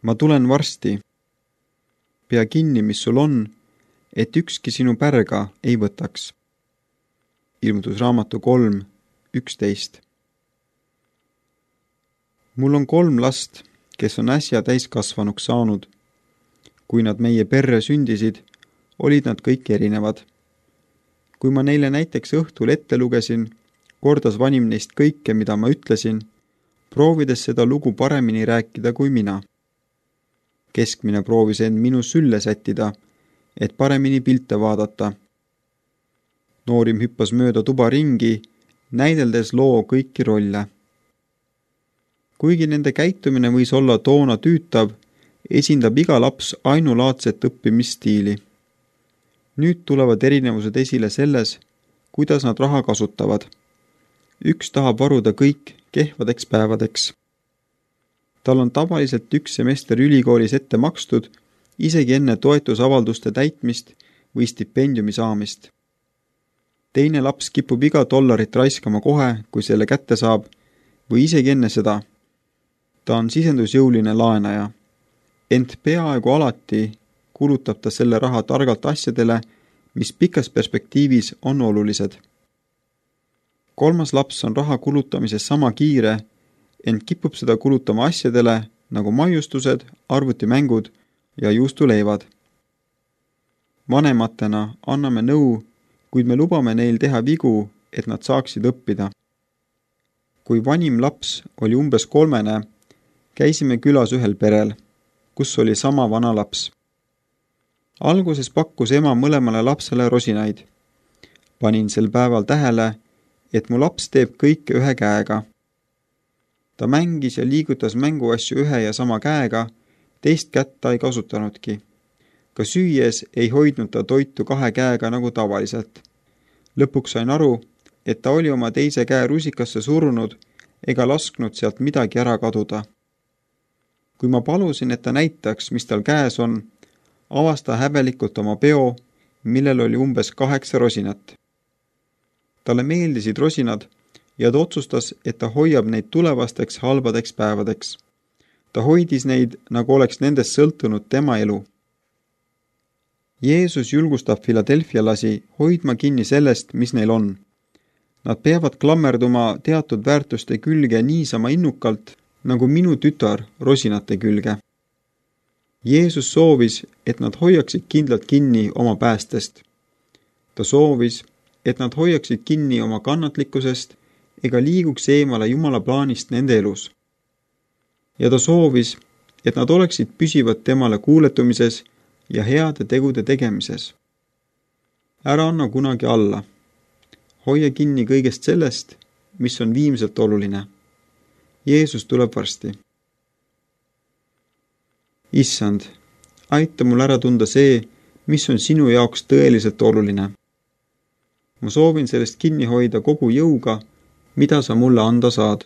ma tulen varsti. Pea kinni, mis sul on, et ükski sinu pärga ei võtaks. Ilmutusraamatu 3:11. Mul on 3 last, kes on äsja täiskasvanuks saanud. Kui nad meie perre sündisid, olid nad kõik erinevad. Kui ma neile näiteks õhtul ette lugesin, kordas vanim neist kõike, mida ma ütlesin, proovides seda lugu paremini rääkida kui mina. Keskmine proovis end minu sülle sättida, et paremini pilte vaadata. Noorim hüppas mööda tuba ringi, näideldes loo kõiki rolle. Kuigi nende käitumine võis olla toona tüütav, esindab iga laps ainulaadset õppimisstiili. Nüüd tulevad erinevused esile selles, kuidas nad raha kasutavad. Üks tahab varuda kõik kehvadeks päevadeks. Tal on tavaliselt 1 semester ülikoolis ette makstud, isegi enne toetusavalduste täitmist või stipendiumi saamist. Teine laps kipub iga dollarit raiskama kohe, kui selle kätte saab, või isegi enne seda. Ta on sisendusjõuline laenaja. Ent peaaegu alati kulutab ta selle raha targalt asjadele, mis pikas perspektiivis on olulised. 3. laps on raha kulutamises sama kiire, ent kipub seda kulutama asjadele nagu maiustused, arvutimängud ja juustuleivad. Vanematena anname nõu, kuid me lubame neil teha vigu, et nad saaksid õppida. Kui vanim laps oli umbes 3, käisime külas ühel perel, kus oli sama vana laps. Alguses pakkus ema mõlemale lapsele rosinaid. Panin sel päeval tähele, et mu laps teeb kõike ühe käega. Ta mängis ja liigutas mänguasju ühe ja sama käega, teist kätt ta ei kasutanudki. Ka süües ei hoidnud ta toitu 2 käega nagu tavaliselt. Lõpuks sain aru, et ta oli oma teise käe rusikasse surunud ega lasknud sealt midagi ära kaduda. Kui ma palusin, et ta näitaks, mis tal käes on, avas ta häbelikult oma peo, millel oli umbes 8 rosinat. Talle meeldisid rosinad ja ta otsustas, et ta hoiab neid tulevasteks halbadeks päevadeks. Ta hoidis neid, nagu oleks nendest sõltunud tema elu. Jeesus julgustab Philadelphialasi hoidma kinni sellest, mis neil on. Nad peavad klammerduma teatud väärtuste külge niisama innukalt, nagu minu tütar rosinate külge. Jeesus soovis, et nad hoiaksid kindlalt kinni oma päästest. Ta soovis, et nad hoiaksid kinni oma kannatlikkusest ega liiguks eemale Jumala plaanist nende elus. Ja ta soovis, et nad oleksid püsivad temale kuuletumises ja heade tegude tegemises. Ära anna kunagi alla. Hoia kinni kõigest sellest, mis on viimselt oluline. Jeesus tuleb varsti. Issand, aita mul ära tunda see, mis on sinu jaoks tõeliselt oluline. Ma soovin sellest kinni hoida kogu jõuga, mida sa mulle anda saad.